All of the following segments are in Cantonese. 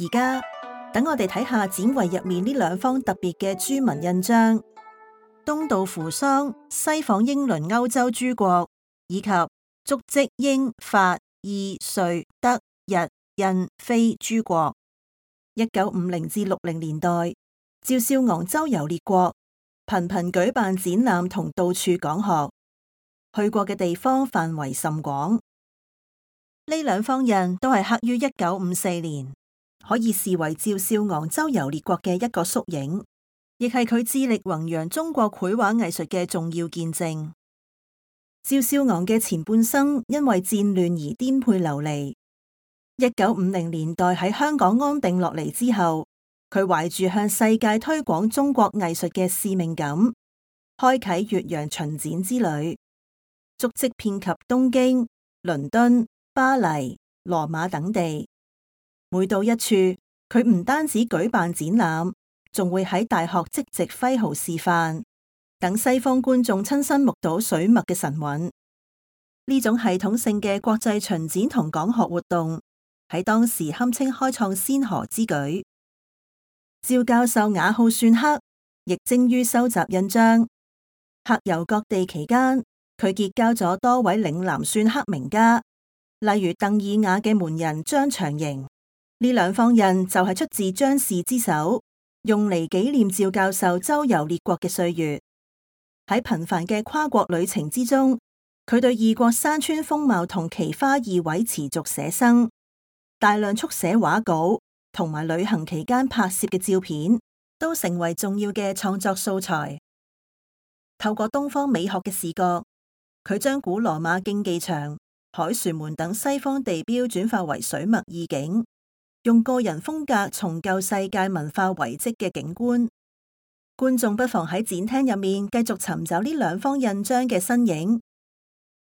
而家等我哋睇下展櫃入面呢兩方特別嘅諸紋印章：東道扶桑、西訪英倫歐洲諸國，以及足跡英法意瑞德日印非諸國。1950至60年代，趙少昂周遊列國，頻頻舉辦展覽同到處講學，去過嘅地方範圍甚廣。呢兩方印都係刻於1954年，可以視為趙少昂周遊列國嘅一個縮影，亦係佢致力弘揚中國繪畫藝術嘅重要見證。趙少昂嘅前半生因為戰亂而顛沛流離。1950年代喺香港安定落嚟之後，佢懷住向世界推廣中國藝術嘅使命感，開啟越洋巡展之旅，足跡遍及東京、倫敦、巴黎、羅馬等地。每到一處，佢唔單止舉辦展覽，仲會喺大學即席揮毫示範，等西方觀眾親身目睹水墨嘅神韻。呢種系統性嘅國際巡展同講學活動，喺當時堪稱開創先河之舉。趙教授雅好篆刻，亦精於收集印章。客遊各地期間，佢結交咗多位嶺南篆刻名家，例如鄧爾雅嘅門人張長營。呢兩方印就係出自張氏之手，用嚟紀念趙教授周遊列國嘅歲月。喺頻繁嘅跨國旅程之中，佢對異國山川風貌同奇花異卉持續寫生。大量速寫畫稿同埋旅行期間拍攝嘅照片，都成為重要嘅創作素材。透過東方美學嘅視覺，佢將古羅馬競技場、凱旋門等西方地標轉化為水墨意境，用個人風格重構世界文化遺跡嘅景觀。觀眾不妨喺展廳入面繼續尋找呢兩方印章嘅身影。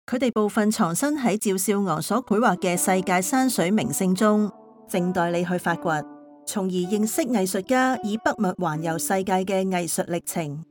佢哋部分藏身喺趙少昂所繪畫嘅世界山水名勝中，靜待你去發掘，從而認識藝術家以筆墨環遊世界嘅藝術歷程。